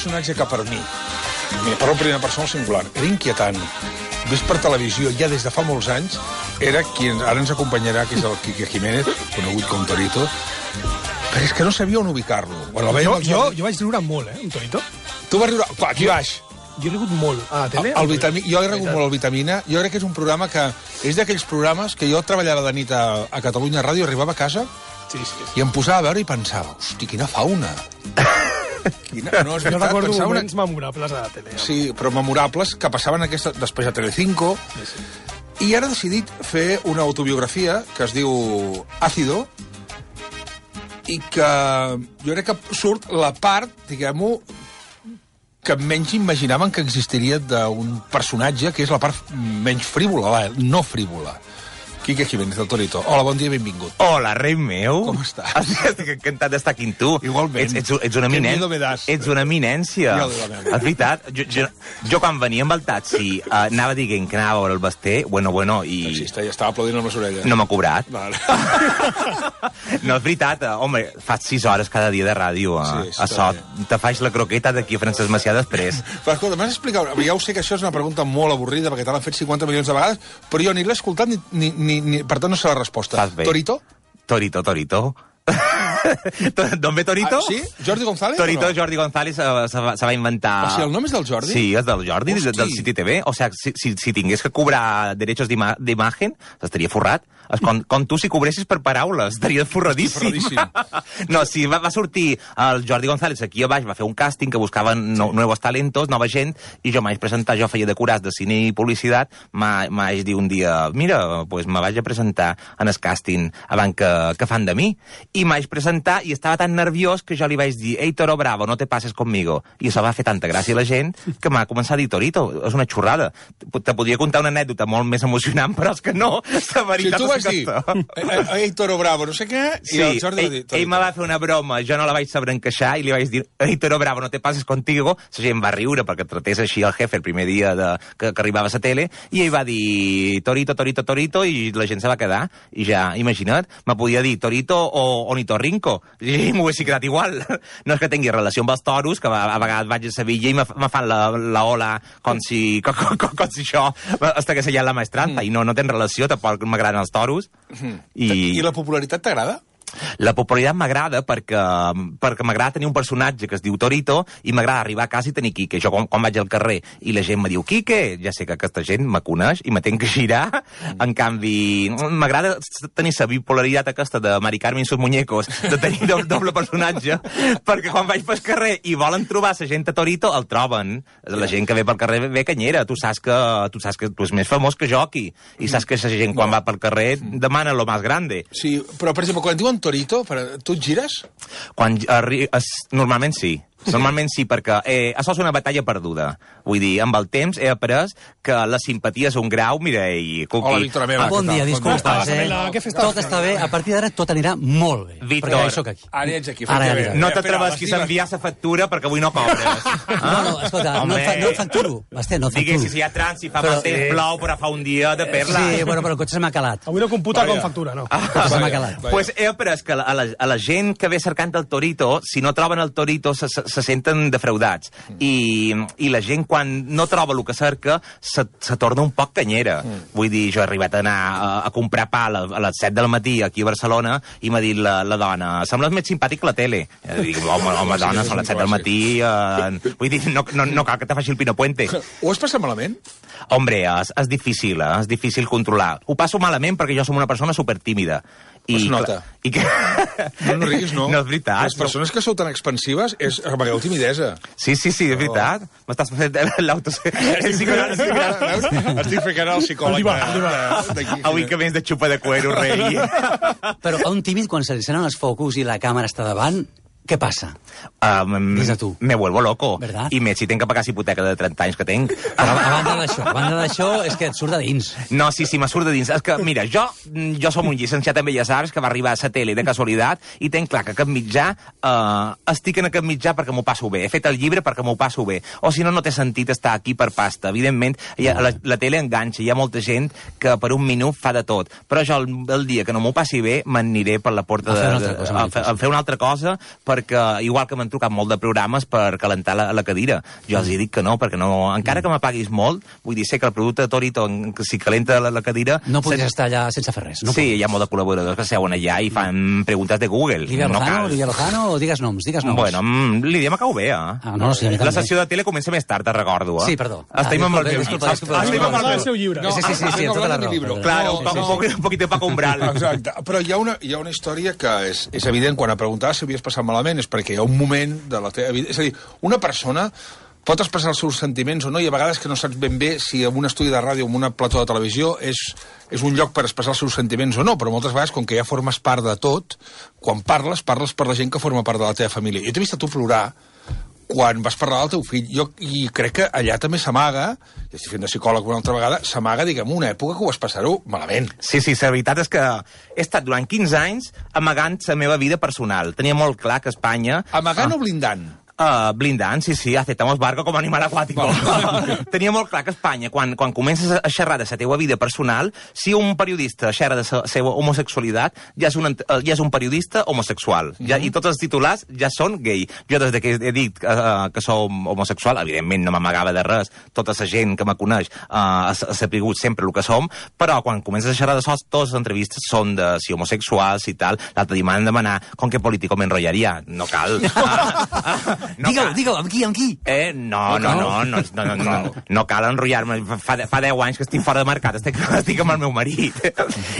personatge que per mi, parlo en primera persona singular, era inquietant, vist per televisió ja des de fa molts anys, era qui ara ens acompanyarà, que és el Quique Jiménez, conegut com Torito, però és que no sabia on ubicar-lo. Bueno, jo vaig riure molt, amb Torito. Tu vas riure... Aquí baix. Jo he rigut molt a la tele. Jo he rigut molt al Vitamina. Jo crec que és un programa que... És d'aquells programes que jo treballava de nit a Catalunya Ràdio, arribava a casa i em posava a veure i pensava, hosti, quina fauna. No, és veritat, jo recordo moments memorables a la tele. Sí, però memorables que passaven després a Telecinco. I ara he decidit fer una autobiografia que es diu Ácido i que jo crec que surt la part, diguem-ho, que menys imaginaven que existiria d'un personatge que és la part menys frívola, no frívola. Quique Jiménez, del Torito. Hola, bon dia i benvingut. Hola, rei meu. Com estàs? Estic encantat d'estar aquí amb tu. Igualment. Ets una eminència. Ets una eminència. És veritat. Jo quan venia amb el taxi anava dient que anava a veure el Basté, bueno, i... Taxista, ja estava aplaudint amb les orelles. No m'ha cobrat. Vale. No, és veritat. Home, fas 6 hores cada dia de ràdio. A sort. Te faig la croqueta d'aquí a Francesc Macià després. Però escolta, m'has explicat... Ja ho sé que això és una pregunta molt avorrida, perquè te l'han fet 50 milions de vegades, però jo ni l'he escoltat per tant no sé la resposta. Torito? Torito. D'on ve Torito? Sí? Jordi González? Torito, Jordi González se va inventar... O sigui, el nom és del Jordi? Sí, és del Jordi, del City TV. O sigui, si tingués que cobrar derechos d'imatge, estaria forrat. Com tu, si cobressis per paraules, estaria forradíssim. No, sí, va sortir el Jordi González aquí a baix, va fer un càsting que buscava nous talentos, nova gent, i jo m'haig presentar, jo feia decorats de cine i publicitat, m'haig dir un dia, mira, pues me vaig a presentar en el càsting abans que fan de mi, i m'haig presentar i estava tan nerviós que jo li vaig dir, ei, Toro Bravo, no te pases conmigo. I això va fer tanta gràcia a la gent que m'ha començat a dir Torito, és una xurrada. Te podria contar una anècdota molt més emocionant, però és que no, la veritat és que ei, Toro Bravo, no sé què, i el Jordi va dir... Ell me va fer una broma, jo no la vaig saber encaixar, i li vaig dir, ei, Toro Bravo, no te pases contigo. La gent va riure perquè tratés així el jefe el primer dia que arribava a la tele, i ell va dir Torito, i la gent se va quedar. I ja, imagina't, me podia dir Torito o Ornitorrinco, i m'ho hagués quedat igual. No és que tingui relació amb els toros, que a vegades vaig a Sevilla i me fan la ola com si això estigués allà en la maestranta, i no tenen relació, tampoc m'agraden els toros. I la popularitat t'agrada? La popularitat m'agrada perquè m'agrada tenir un personatge que es diu Torito i m'agrada arribar a casa i tenir Quique. Jo quan vaig al carrer i la gent me diu Quique, ja sé que aquesta gent me coneix i me tenc que girar. En canvi, m'agrada tenir la bipolaritat aquesta de Mari Carmen i sus muñecos, de tenir doble personatge, perquè quan vaig pel carrer i volen trobar la gent a Torito, el troben. La gent que ve pel carrer ve canyera. Tu saps que tu és més famós que jo aquí. I saps que la gent quan va pel carrer demana lo más grande. Sí, però per exemple, quan diuen Torito, tu et gires? Normalment sí. Normalment sí, perquè això és una batalla perduda. Vull dir, amb el temps he après que la simpatia és un grau, mira, i... Hola, Víctor Ameva. Bon dia, disculpes, Tot està bé, a partir d'ara tot anirà molt bé. Víctor, perquè ja soc aquí. Ara ets aquí. No t'atrevesquis a enviar la factura perquè avui no cobres. No, escolta, no facturo. Basté, no facturo. Digues, si hi ha trànsit, fa mal temps, plou, però fa un dia de perla. Sí, bueno, però el cotxe se m'ha calat. Avui no computa com factura, no? El cotxe se m'ha calat. Pues he après que a la gent que ve cercant el Torito, si no troben el Torito, se senten defraudats. I la gent, quan no troba el que cerca, se torna un poc canyera. Vull dir, jo he arribat a anar a comprar pa a les 7 del matí aquí a Barcelona i m'ha dit la dona, sembles més simpàtic que la tele. I dic, home, dona, són les 7 del matí. Vull dir, no cal que te faci el Pino Puente. Ho has passat malament? Hombre, és difícil controlar. Ho passo malament perquè jo som una persona supertímida. Es nota. No riguis, no. No és veritat. Les persones que sou tan expansives amagueu timidesa. Sí, és veritat. M'estàs fent Estic ficant el psicòleg. Avui que vens de xupa de cuero, rei. Però a un tímid, quan se li encenen els focus i la càmera està davant, què passa? Des de tu. Me vuelvo loco. ¿Verdad? I més si tenc que pagar la hipoteca de 30 anys que tenc. Però a banda d'això, és que et surt de dins. No, sí, me surt de dins. És que, mira, jo som un llicenciat en Belles Arts que va arribar a la tele de casualitat i tenc clar que aquest mitjà, estic en aquest mitjà perquè m'ho passo bé. He fet el llibre perquè m'ho passo bé. O si no, no té sentit estar aquí per pasta. Evidentment, la tele enganxa. Hi ha molta gent que per un minut fa de tot. Però jo, el dia que no m'ho passi bé, m'aniré per la porta a fer una altra cosa, a fer una altra cosa, perquè, igual que m'han trucat molt de programes per calentar la cadira. Jo els dic que no, perquè no, encara que m'apaguis molt, vull dir, sé que el producte de Torito, si calenta la cadira... No podries estar allà sense fer res. Sí, hi ha molt de col·laboradors que seuen allà i fan preguntes de Google. Lídia Lozano, o digues noms? Bueno, Lídia m'acau bé, no, sí, la sessió de tele comença més tard, te recordo. Sí, perdó. Estem amb el meu llibre. Estem amb el seu llibre. Sí, tota la raó. Claro, un poquito Paco Umbral. Exacte, però hi ha una història que és evident, quan a preguntar si havies passat malament, és perquè hi ha un moment de la teva vida... És a dir, una persona pot expressar els seus sentiments o no, i a vegades que no saps ben bé si en un estudi de ràdio o en una plató de televisió és un lloc per expressar els seus sentiments o no, però moltes vegades, com que ja formes part de tot, quan parles per la gent que forma part de la teva família. Jo t'he vist a tu plorar quan vas parlar del teu fill, i crec que allà també s'amaga, i estic fent de psicòleg una altra vegada, s'amaga, diguem, una època que ho vas passar-ho malament. Sí, la veritat és que he estat durant 15 anys amagant la meva vida personal. Tenia molt clar que Espanya... Amagant o blindant? Blindant, sí, aceptamos barco com a animal aquàtic. Tenia molt clar que Espanya, quan comences a xerrar de la teva vida personal, si un periodista xerra de la seva homosexualitat, ja és un periodista homosexual. I tots els titulars ja són gay. Jo, des que he dit que som homosexual, evidentment no m'amagava de res, tota la gent que me coneix ha sapigut sempre el que som, però quan comences a xerrar de sos, totes les entrevistes són de si homosexuals i tal. L'altre dia m'han demanat com que político m'enrotllaria. No cal. Digue'l, amb qui? No cal enrotllar-me. Fa 10 anys que estic fora de mercat, estic amb el meu marit.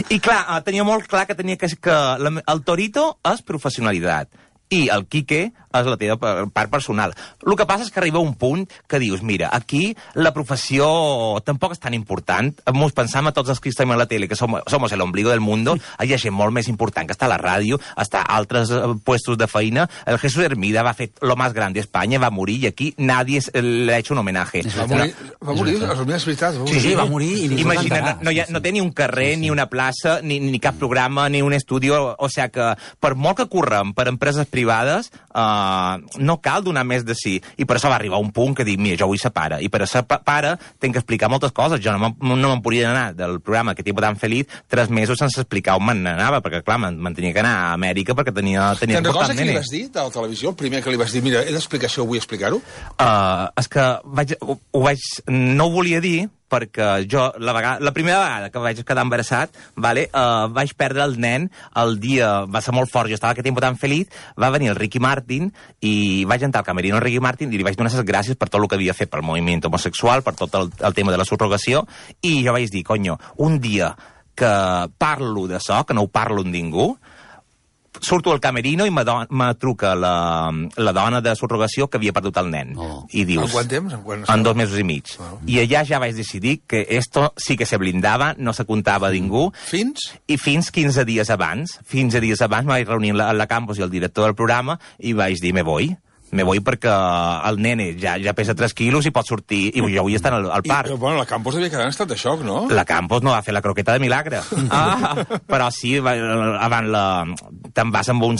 I clar, tenia molt clar que el Torito és professionalitat i el Quique és la teva part personal. El que passa és que arriba un punt que dius, mira, aquí la professió tampoc és tan important. Ens pensam a tots els que estem a la tele, que somos el ombligo del mundo, hi ha gent molt més important que està a la ràdio, està a altres puestos de feina. El Jesús Hermida va fer lo más grande a Espanya, va morir, i aquí nadie le ha hecho un homenaje. Va morir, és veritat. Sí, va morir. Imagina't, no té ni un carrer, ni una plaça, ni cap programa, ni un estudi, o sigui que per molt que correm per empreses privades, no cal donar més de sí. I per això va arribar un punt que dic, mira, jo vull ser pare. I per ser pare tenc que explicar moltes coses. Jo no me'n podia anar del programa Que tipo tan feliç 3 mesos sense explicar on m'anava, perquè clar, me'n tenia que anar a Amèrica perquè tenia Te'n recordes que li vas dir de la televisió? El primer que li vas dir, mira, he d'explicar això, vull explicar-ho? És que no ho volia dir, perquè jo, la primera vegada que vaig quedar embarassat, vaig perdre el nen el dia, va ser molt fort, jo estava aquest temps tan feliç, va venir el Ricky Martin i vaig entrar al camerino al Ricky Martin i li vaig donar les gràcies per tot el que havia fet pel moviment homosexual, per tot el tema de la subrogació, i jo vaig dir, conyo, un dia que parlo d'això, que no ho parlo amb ningú, surto al camerino i me truca la dona de subrogació que havia perdut el nen. I dius... En quant temps? En 2 mesos i mig. I allà ja vaig decidir que esto sí que se blindava, no se contava a ningú. Fins? I fins 15 dies abans. 15 dies abans me vaig reunir a la campus i el director del programa i vaig dir, me voy perquè el nene ja pesa 3 quilos i pot sortir, i jo vull estar al parc. Bueno, la Campos devia quedar en estat de xoc, no? La Campos no va fer la croqueta de milagre. Però sí, abans te'n vas amb un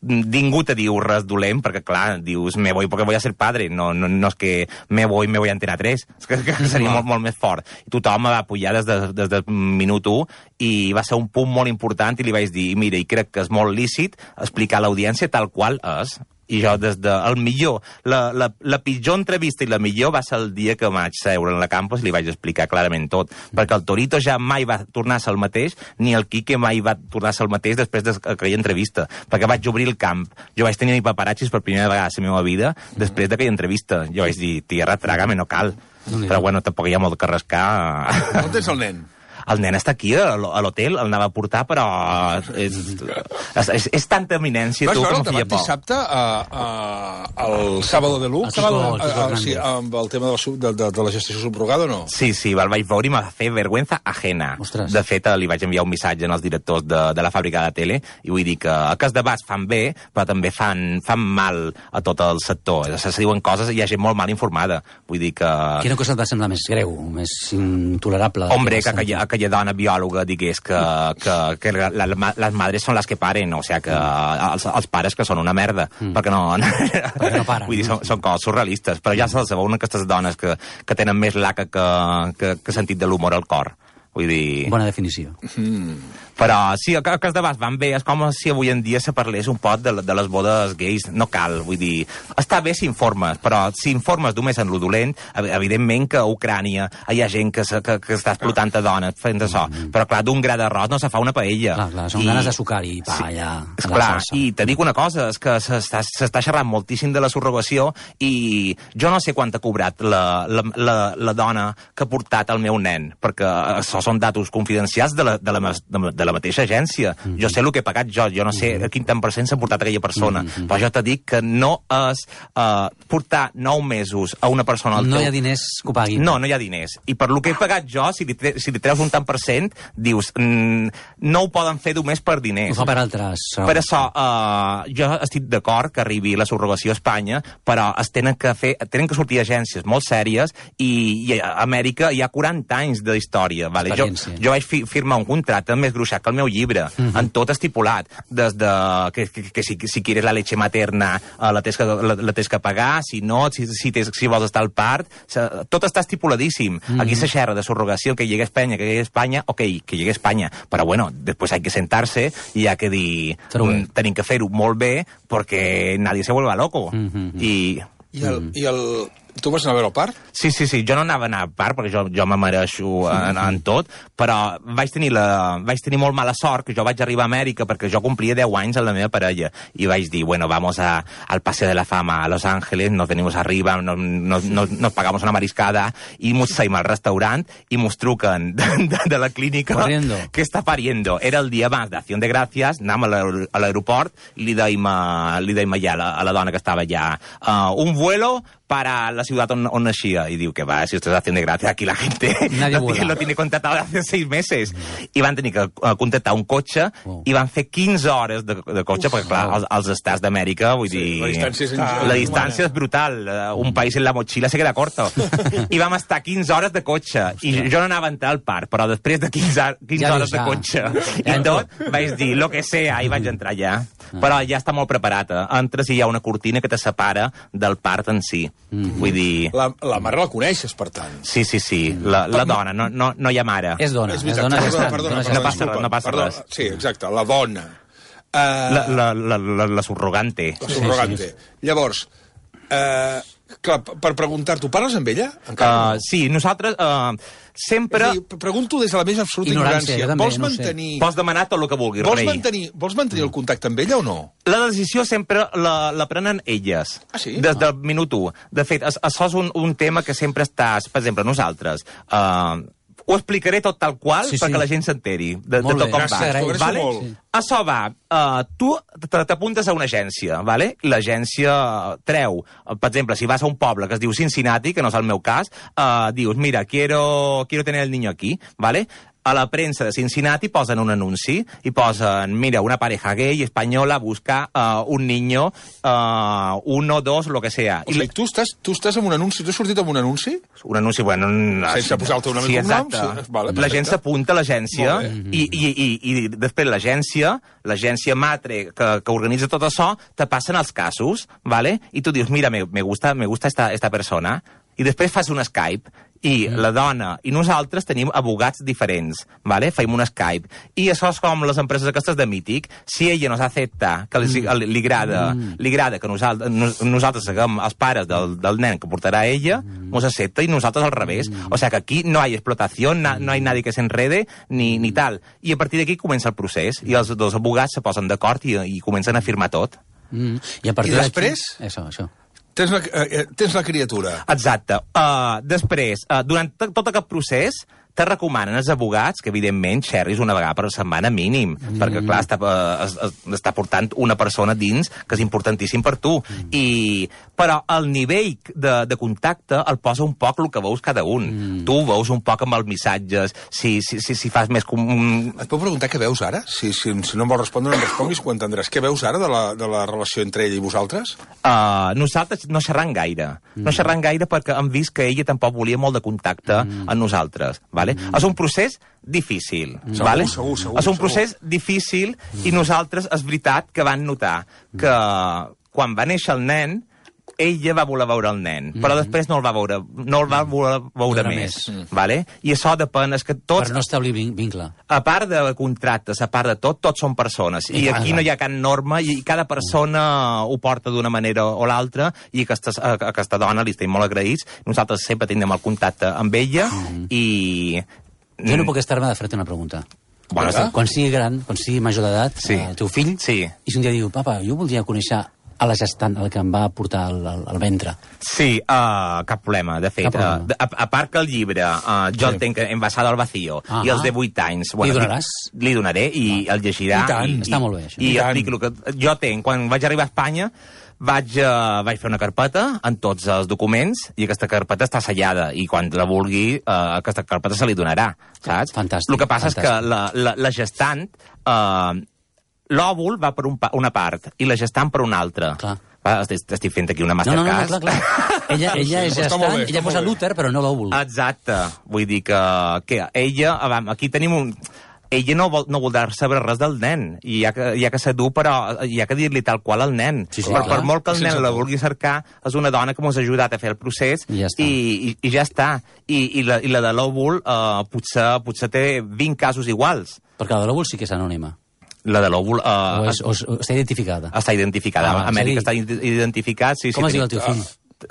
ningú te diu res dolent, perquè clar, dius, me voy porque voy a ser padre, no és que me voy a Antena 3, és que seria molt més fort. I tothom me va apoyar des del minut 1 i va ser un punt molt important i li vaig dir, mira, i crec que és molt lícit explicar a l'audiència tal qual és. I jo, des de el millor, la pitjor entrevista i la millor va ser el dia que vaig seure en la campus i li vaig explicar clarament tot, perquè el Torito ja mai va tornar a ser el mateix, ni el Quique mai va tornar a ser el mateix després d'aquella entrevista, perquè vaig obrir el camp. Jo vaig tenir paparazzis per primera vegada a la meva vida després d'aquella entrevista. Jo vaig dir, tierra, trágame, no cal. Però bueno, tampoc hi ha molt que rascar. On tens el nen? El nen està aquí, a l'hotel, el anava a portar, però és tanta eminència, tu, que em feia por. Dissabte, el Sábado de Luz, amb el tema de la gestació subrogada o no? Sí, el vaig veure i m'ha fet vergüenza ajena. De fet, li vaig enviar un missatge als directors de la fàbrica de tele i vull dir que els debats fan bé, però també fan mal a tot el sector. Se diuen coses i hi ha gent molt mal informada. Vull dir que... Quina cosa et va semblar més greu, més intolerable? Hombre, que aquella dona biòloga digués que les madres són les que paren, o sigui, que els pares que són una merda, perquè no paren. Vull dir, són coses surrealistes, però ja se'ls veuen aquestes dones que tenen més laca que sentit de l'humor al cor. Vull dir... Bona definició. Però sí, el que els debats van bé, és com si avui en dia se parlés un pot de les bodes gais. No cal, vull dir... Està bé si informes, però si informes només en lo dolent, evidentment que a Ucrània hi ha gent que està explotant a dones fent això. Però clar, d'un gra d'arròs no se fa una paella. Clar, són ganes de sucar i pa, allà... Clar, i te dic una cosa, és que s'està xerrant moltíssim de la subrogació i jo no sé quant ha cobrat la dona que ha portat el meu nen, perquè això són datos confidencials de la mateixa agència. Jo sé el que he pagat jo no sé a quin tant % s'ha portat aquella persona, però jo t'he dit que no és portar 9 mesos a una persona al teu... No hi ha diners que ho paguin. No hi ha diners. I per lo que he pagat jo, si li treus un tant %, dius, no ho poden fer només per diners. Ho fa per altres. Per això, jo estic d'acord que arribi la subrogació a Espanya, però tenen que sortir agències molt sèries i a Amèrica hi ha 40 anys d'història. Vale? Jo vaig firmar un contracte més gruixat que el meu llibre, en tot estipulat, des de que si quieres la leche materna la tens que pagar, si no, si vols estar al part, tot està estipuladíssim. Aquí se xerra de subrogació, que llegue a Espanya, ok, que llegue a Espanya, però bueno, després hay que sentarse i hi ha que dir, tenim que fer-ho molt bé perquè nadie se vuelva loco. Tu vas anar a veure el part? Sí, jo no anava a anar al part, perquè jo me mereixo en tot, però vaig tenir molt mala sort, que jo vaig arribar a Amèrica perquè jo complia 10 anys amb la meva parella, i vaig dir, bueno, vamos al Paseo de la Fama a Los Ángeles, nos venimos arriba, nos pagamos una mariscada, i mos saïm al restaurant, i mos truquen de la clínica que està pariendo. Era el dia abans d'Acción de Gràcies, anàvem a l'aeroport, i li dèiem allà a la dona que estava allà, un vuelo para la ciudad on naixia. I diu que va, si esto es Acción de Gracias, aquí la gente lo tiene contratado hace 6 meses. I van tenir que contractar un cotxe i van fer 15 hores de cotxe, perquè clar, als estats d'Amèrica, vull dir... La distància és brutal. Un país en la mochila se queda corto. I vam estar 15 hores de cotxe. I jo no anava a entrar al parc, però després de 15 hores de cotxe i tot, vaig dir, lo que sea, i vaig entrar allà. Però ja està molt preparat. Entres i hi ha una cortina que te separa del parc en si. Vull dir... La mare la coneixes, per tant. Sí. La dona, no hi ha mare. És dona. No passa res. Sí, exacte, la dona. La subrogante. La subrogante. Llavors, clar, per preguntar-t'ho, parles amb ella? Sí, nosaltres sempre... Pregunto des de la més absoluta ignorància. Vols mantenir... Pots demanar tot el que vulguis, rei. Vols mantenir el contacte amb ella o no? La decisió sempre la prenen elles. Ah, sí? Des del minut 1. De fet, això és un tema que sempre estàs... Per exemple, nosaltres... Ho explicaré tot tal qual perquè la gent s'enteri de tot com va. Vale? Això va, tu t'apuntes a una agència, vale? L'agència treu, per exemple, si vas a un poble que es diu Cincinnati, que no és el meu cas, dius, mira, quiero tener el niño aquí, vale? A la premsa de Cincinnati posen un anunci i posen, mira, una pareja gay espanyola busca un niño, 1, 2, lo que sea. O sigui, tu estàs amb un anunci, tu has sortit amb un anunci? Un anunci, bueno... Sense posar-te una mica un nom? Sí, vale, la gent s'apunta a l'agència i després l'agència matre que organitza tot això, te passen els casos, vale? I tu dius, mira, me gusta esta persona, i després fas un Skype, i la dona i nosaltres tenim abogats diferents, ¿vale? Feim un Skype. I això és com les empreses aquestes de mític. Si ella nos acepta, que li agrada que nosaltres seguim els pares del nen que portarà ella, nos acepta, i nosaltres al revés. O sigui que aquí no hi ha explotació, no hi ha nadie que s'enrede, ni tal. I a partir d'aquí comença el procés, i els dos abogats se posen d'acord i comencen a firmar tot. I després? Això. Tens la criatura. Exacte. Després, durant tot aquest procés, te recomanen els abogats que, evidentment, xerris una vegada per setmana mínim, perquè, clar, està portant una persona dins, que és importantíssim per tu. Però el nivell de contacte el posa un poc el que veus cada un. Tu veus un poc amb els missatges, si fas més... Et puc preguntar què veus ara? Si no em vols respondre, no em responguis, ho entendràs. Què veus ara de la relació entre ell i vosaltres? Nosaltres no xerram gaire. No xerram gaire perquè hem vist que ella tampoc volia molt de contacte amb nosaltres, vale? És un procés difícil. Segur. És un procés difícil i nosaltres és veritat que van notar que quan va néixer el nen ella va voler veure el nen, però després no el va voler veure més. Vale? I això depèn, és que tots... Per no establir vincle. A part de contractes, a part de tot, tots són persones. I aquí no hi ha cap norma i cada persona ho porta d'una manera o l'altra i aquesta dona li estem molt agraïts. Nosaltres sempre tindrem el contacte amb ella i... Jo no puc estar-me de fer-te una pregunta. Bueno, quan sigui gran, quan sigui major d'edat, el teu fill, i si un dia diu, papa, jo voldria conèixer a la gestant, el que em va portar al ventre. Sí, cap problema, de fet. A part que el llibre, jo el tenc envasat al vacío, i els de 8 anys... Li donaràs? Li donaré i el llegirà. I tant, està molt bé, això. I explico el que jo tenc. Quan vaig arribar a Espanya, vaig fer una carpeta amb tots els documents i aquesta carpeta està sellada i quan la vulgui, aquesta carpeta se li donarà, saps? Fantàstic. El que passa és que la gestant... L'òvul va per una part i la gestant per una altra. Clar. Estic fent aquí una masterclass. No, clar. Ella és gestant, ella posa l'úter, però no l'òvul. Exacte. Vull dir que ella... Aquí tenim un... Ella no voldrà saber res del nen, i hi ha que ser dur, però hi ha que dir-li tal qual al nen. Per molt que el nen la vulgui cercar, és una dona que ens ha ajudat a fer el procés, i ja està. I la de l'òvul potser té 20 casos iguals. Perquè la de l'òvul sí que és anònima. La de l'òvul... està identificada. Està identificada. A Amèrica està identificat. Com es diu el teu fill?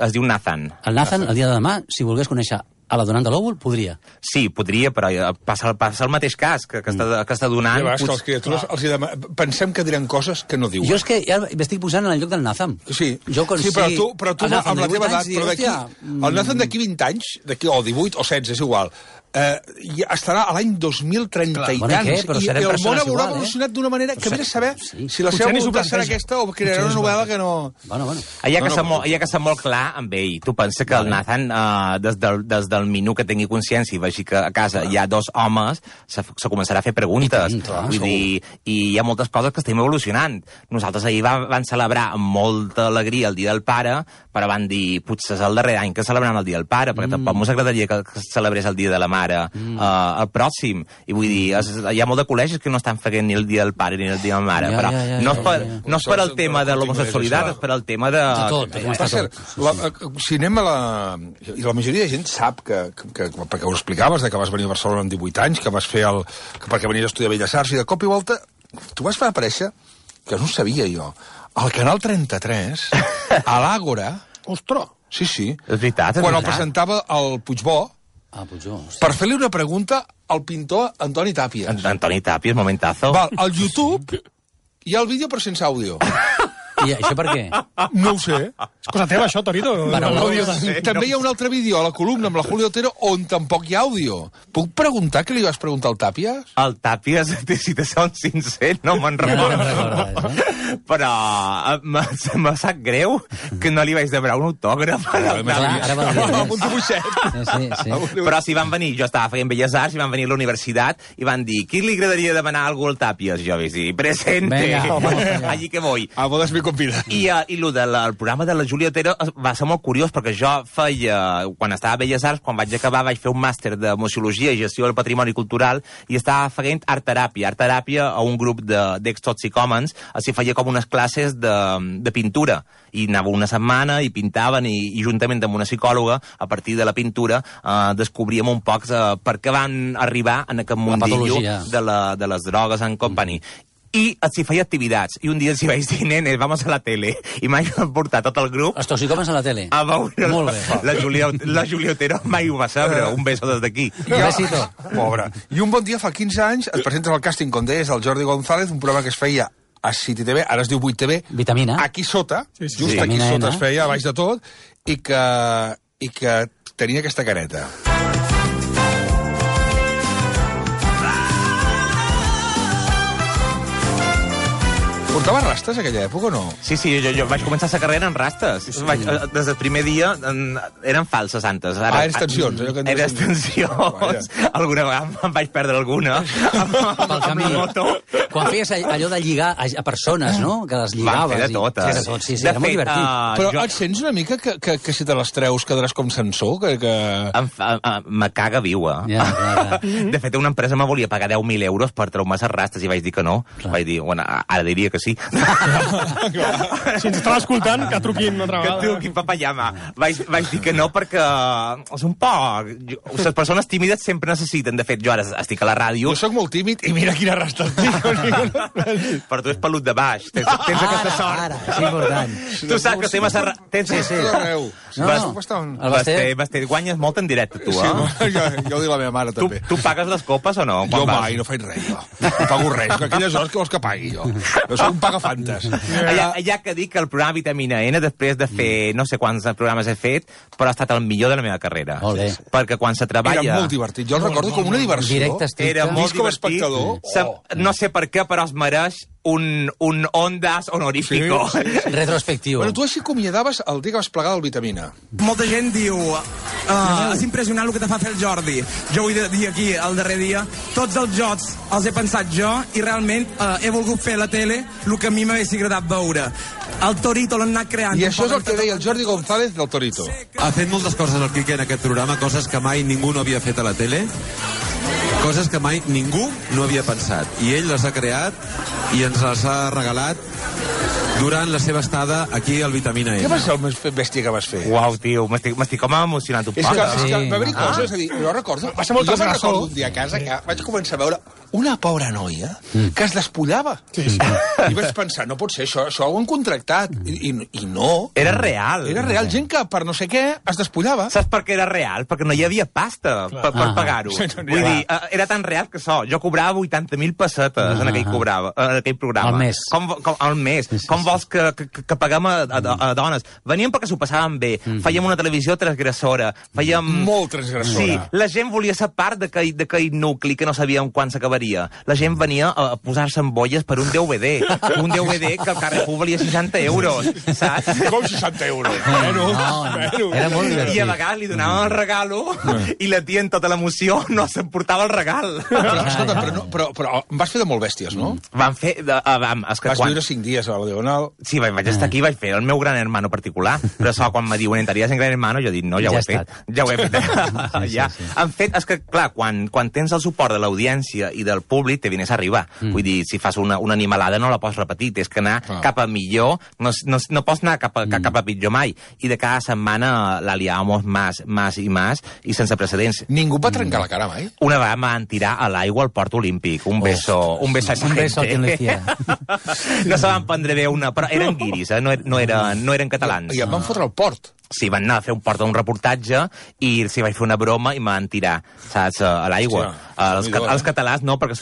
Es diu Nathan. El Nathan, el dia de demà, si volgués conèixer a la donant de l'òvul, podria. Sí, podria, però passa el mateix cas que està donant. Ja, que les criatures pensem que diran coses que no diuen. Jo és que ja m'estic posant en el lloc del Nathan. Sí, però tu amb la teva edat, però d'aquí... El Nathan d'aquí 20 anys, o 18 o 16, és igual, estarà a l'any 2030 i tants, i el món haurà evolucionat d'una manera que vés a saber si la seva voluntat serà aquesta o crearà una novel·la que no... Hi ha que ser molt clar amb ell. Tu pensa que el Nathan, des del minut que tingui consciència i vegi que a casa hi ha 2 homes, se començarà a fer preguntes. Vull dir, i hi ha moltes coses que estem evolucionant. Nosaltres ahir vam celebrar amb molta alegria el Dia del Pare, però van dir, potser és el darrer any que celebrem el Dia del Pare, perquè tampoc ens agradaria que celebrés el Dia de la Mare el pròxim. I vull dir, hi ha molt de col·legis que no estan fent ni el Dia del Pare ni el Dia de la Mare, però no és per al tema de l'homosexualitat, és per al tema de... Per cert, si anem a la... I la majoria de gent sap perquè ho explicaves, que vas venir a Barcelona amb 18 anys, que vas fer perquè venies a estudiar Belles Arts, i de cop i volta tu vas fer aparèixer, que no ho sabia jo, al Canal 33, a l'Àgora... Ostres! Sí. És veritat, quan el presentava el Puigbó, per fer-li una pregunta al pintor Antoni Tàpies. Antoni Tàpies, momentazo. Al YouTube hi ha el vídeo però sense àudio. I això per què? No ho sé. És cosa teva, això, Torito. També hi ha un altre vídeo a la columna amb la Julio Otero on tampoc hi ha àudio. Puc preguntar què li vas preguntar al Tàpies? El Tàpies, si te són sincer, no me'n recordo. Però me sap greu que no li vaig demanar un autògraf. Amb un dibuixet. Però si van venir, jo estava fent Belles Arts, i van venir a la universitat i van dir, qui li agradaria demanar alguna cosa al Tàpies? Jo vaig dir, presente, allí que voy. Bodes me convida. I el programa de la Júlia Otero va ser molt curiós, perquè jo feia, quan estava a Belles Arts, quan vaig acabar, vaig fer un màster de museologia i gestió del patrimoni cultural, i estava fent art-teràpia a un grup d'ex-toxicòmens, així feia com unes classes de pintura, i anava una setmana i pintaven, i juntament amb una psicòloga, a partir de la pintura, descobríem un poc per què van arribar en aquest mundillo de les drogues en company. I s'hi feia activitats. I un dia els hi vaig dir, nenes, vamos a la tele. I mai van portar tot el grup... Els toxicòmens a la tele. A veure la Júlia Otero mai ho va saber. Un beso des d'aquí. Besito. Pobre. I un bon dia, fa 15 anys, es presenta al Càsting com deies, el Jordi González, un programa que es feia a City TV, ara es diu 8TV. Vitamina. Aquí sota, just aquí sota es feia, a baix de tot, i que tenia aquesta careta. Portava rastes aquella època o no? Sí, jo vaig començar la carrera en rastes. Des del primer dia eren falses antes. Eres tensions. Eres tensions. Alguna vegada em vaig perdre alguna. Pel camí. Quan feies allò de lligar a persones, no? Que les lligaves. Vam fer de totes. Sí, era molt divertit. Però et sents una mica que si te les treus quedaràs com censor? Me caga viua. De fet, una empresa me volia pagar 10.000 euros per treuar les rastes i vaig dir que no. Vaig dir, bueno, ara diria que sí. truqui. Si ens estava escoltant, que truquin una altra vegada. Que truqui, papallama. Vaig dir que no perquè és un poc... Les persones tímides sempre necessiten. De fet, jo ara estic a la ràdio... Jo sóc molt tímid i mira quina resta estic. Però tu és pelut de baix. Tens aquesta sort. Ara, és important. Tu saps que estem a Serra... Sí. Basté, guanyes molt en directe, tu, eh? Sí, jo ho dic la meva mare, també. Tu pagues les copes o no? Jo mai, no faig res, jo. No pago res, que aquelles hores que vols que pagui, jo. Jo soc un pagafantes. Ja que dic que el programa Vitamina N, després de fer no sé quants programes he fet, però ha estat el millor de la meva carrera. Perquè quan se treballa... Era molt divertit, jo el recordo com una diversió. Directe, estricte. Era molt divertit. No sé per què, però es mereix un Ondas honorífico. Sí. Retrospectiu. Bueno, tu així acomiadaves el dia que vas plegar del Vitamina. Molta gent diu és impressionant el que te fa fer el Jordi. Jo vull dir aquí, el darrer dia, tots els jocs els he pensat jo i realment he volgut fer a la tele el que a mi m'hagués agradat veure. El Torito l'han anat creant. I això és el que deia el Jordi González del Torito. Ha fet moltes coses el Quique en aquest programa, coses que mai ningú no havia fet a la tele, coses que mai ningú no havia pensat. I ell les ha creat i ens les ha regalat durant la seva estada aquí al Vitamina N. Què va ser el més bèstia que vas fer? Uau, tio, m'estic com emocionant un poc. És que va haver-hi coses, és a dir, jo recordo... Va ser molt transgressor. Jo un dia a casa que vaig començar a veure una pobra noia que es despullava. Sí. I vaig pensar, no pot ser, això ho han contractat. I no. Era real. Era real, gent que per no sé què es despullava. Saps per què era real? Perquè no hi havia pasta per pagar-ho. Vull dir, era tan real que jo cobrava 80.000 pessetes en aquell programa. Al mes. Al mes. Com vols que paguem a dones? Veníem perquè s'ho passaven bé. Fèiem una televisió transgressora. Molt transgressora. Sí, la gent volia ser part d'aquell nucli que no sabíem quan s'acabaria. La gent venia a posar-se en bolles per un DVD. Un DVD que al Carrefour valia 60 euros, saps? Com 60 euros? No, era molt divertit. I a vegades li donàvem el regalo i la tia en tota l'emoció no s'emportava el regal. Però, escolta, però vas fer de molt bèsties, no? Vam fer... Vas viure 5 dies a la Diagonal. Sí, vaig estar aquí, vaig fer el meu gran hermano particular, però quan me diuen entraries en gran hermano, jo dic, no, ja ho he fet. Ja ho he fet. Ja. En fet, és que, clar, quan tens el suport de l'audiència i del públic, te vienes a arribar. Vull dir, si fas una animalada no la pots repetir, tens que anar cap a millor, no pots anar cap a pitjor mai. I de cada setmana la liàvamos más i sense precedents. Ningú va trencar la cara mai? Una vegada em van tirar a l'aigua al Port Olímpic. Un beso a esa gente. No se van prendre bé però eren guiris, no eren catalans. I em van fotre al port. Sí, van anar a fer un reportatge i s'hi vaig fer una broma i m'han tirar, saps, a l'aigua. Els catalans no, perquè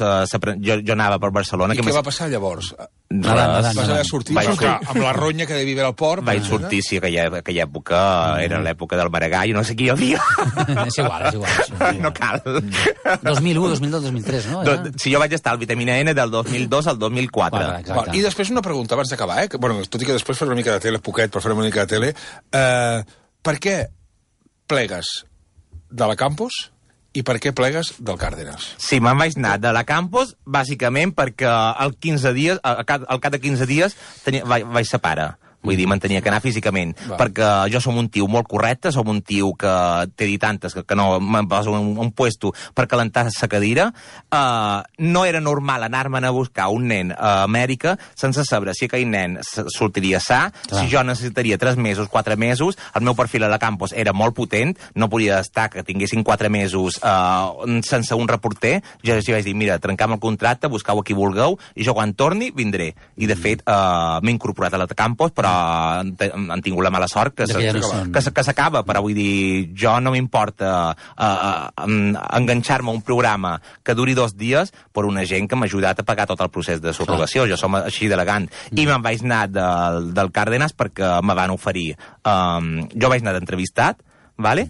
jo anava per Barcelona. I què va passar llavors? Vas haver de sortir amb la ronya que devia haver al port? Vaig sortir, sí, aquella època era l'època del Maragall, no sé qui hi havia. És igual. No cal. 2001, 2002, 2003, no? Sí, jo vaig estar al Vitamina N del 2002 al 2004. I després una pregunta abans d'acabar, Bueno, tot i que després faré una mica de tele, poquet, però farem una mica de tele. Per què plegues de la Campos i per què plegues del Cárdenas? Sí, me'n vaig anar de la Campos, bàsicament perquè al cap de 15 dies vaig ser pare. Vull dir, me'n tenia que anar físicament. Perquè jo som un tio molt correcte, som un tio que t'he dit antes que no me'n poso un puesto per calentar sa cadira. No era normal anar-me'n a buscar un nen a Amèrica sense saber si aquell nen sortiria sa, si jo necessitaria 3 mesos, 4 mesos. El meu perfil a la Campos era molt potent, no podia estar que tinguessin 4 mesos sense un reporter. Jo els vaig dir, mira, trencam el contracte, buscau a qui vulgueu, i jo quan torni vindré. I de fet m'he incorporat a la Campos, però han tingut la mala sort que s'acaba, però vull dir, jo no m'importa enganxar-me a un programa que duri 2 dies per una gent que m'ha ajudat a pagar tot el procés de subrogació. Jo som així d'elegant. I me'n vaig anar del Cárdenas perquè me van oferir... Jo vaig anar d'entrevistat, vale?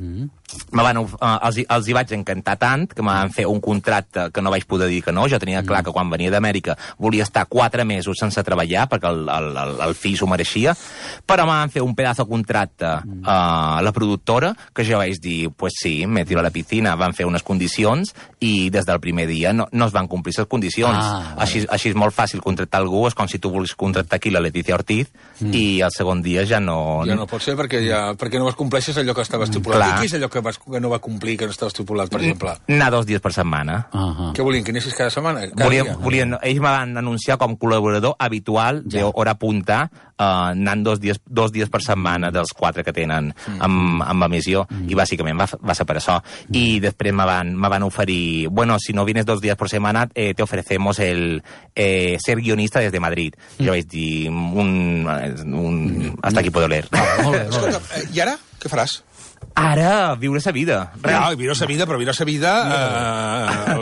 Els hi vaig encantar tant que m'han fet un contracte que no vaig poder dir que no. Jo tenia clar que quan venia d'Amèrica volia estar 4 mesos sense treballar perquè el fill s'ho mereixia, però m'han fet un pedazo de contracte a la productora que jo vaig dir, pues sí, me tiro a la piscina. Van fer unes condicions i des del primer dia no es van complir les condicions. Així és molt fàcil contractar algú, és com si tu volguis contractar aquí la Leticia Ortiz i el segon dia ja no... Ja no pot ser perquè no es compleixes allò que estaves estipulat. I què és allò que no va complir, que no estava estipulat, per exemple? Anar 2 dies per setmana. Què volien, que anessis cada setmana? Ells me van anunciar com col·laborador habitual d'hora punta, anant 2 dies per setmana dels 4 que tenen amb emissió, i bàsicament va ser per això. I després me van oferir, bueno, si no vienes 2 días por semana, te ofrecemos el ser guionista desde Madrid. Jo vaig dir, hasta aquí puedo leer. Escolta, i ara, què faràs? Ara, viure sa vida. Ja, viure sa vida, però viure sa vida...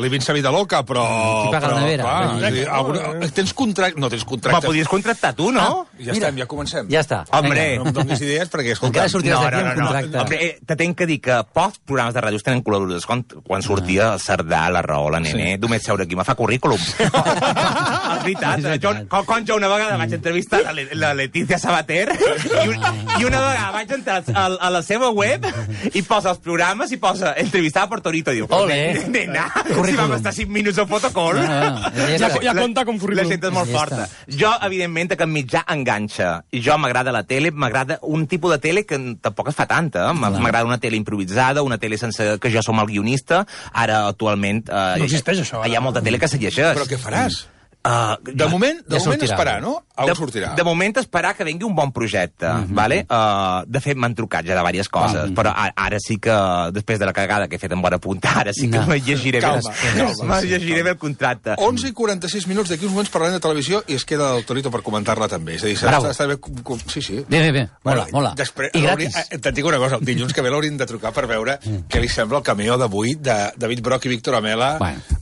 Living sa vida loca, però... Qui paga la nevera? Tens contracte? No tens contracte. Ma podries contractar tu, no? Ja estem, ja comencem. Ja està. Hombre. No em donis idees perquè, escolta... Encara sortiràs d'aquí amb contracte. Hombre, te tenc que dir que pocs programes de ràdio tenen col·laboradors. Quan sortia el Cerdà, la Raó, la Nene, només seure aquí, me fa currículum. És veritat. Quan jo una vegada vaig entrevistar la Letícia Sabater i una vegada vaig entrar a la seva web i posa els programes i posa entrevistada per Torito. Diu, nena, si vam estar 5 minuts al protocol. Ja compta com currículum. La gent és molt forta. Jo, evidentment, que el mitjà enganxa. I jo m'agrada la tele, m'agrada un tipus de tele que tampoc es fa tanta. M'agrada una tele improvisada, una tele sense que jo som el guionista. Ara, actualment... No existeix, això. Hi ha molta tele que se llegeix. Però què faràs? De moment esperar, no? On sortirà? De moment esperar que vengui un bon projecte, vale? De fet, m'han trucat ja de diverses coses, però ara sí que, després de la cagada que he fet en bona punta, ara sí que me llegiré bé el contracte. 11:46 minuts, d'aquí uns moments parlarem de televisió i es queda el Torito per comentar-la també. És a dir, està bé... Sí. Bé. Mola. I gratis. Te'n dic una cosa, el dilluns que ve l'hauríem de trucar per veure què li sembla el cameo d'avui de David Broch i Víctor Amela.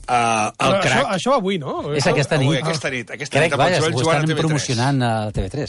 Això avui, no? És aquesta nit. Aquesta nit. Crec, vaja, ho estan promocionant a TV3.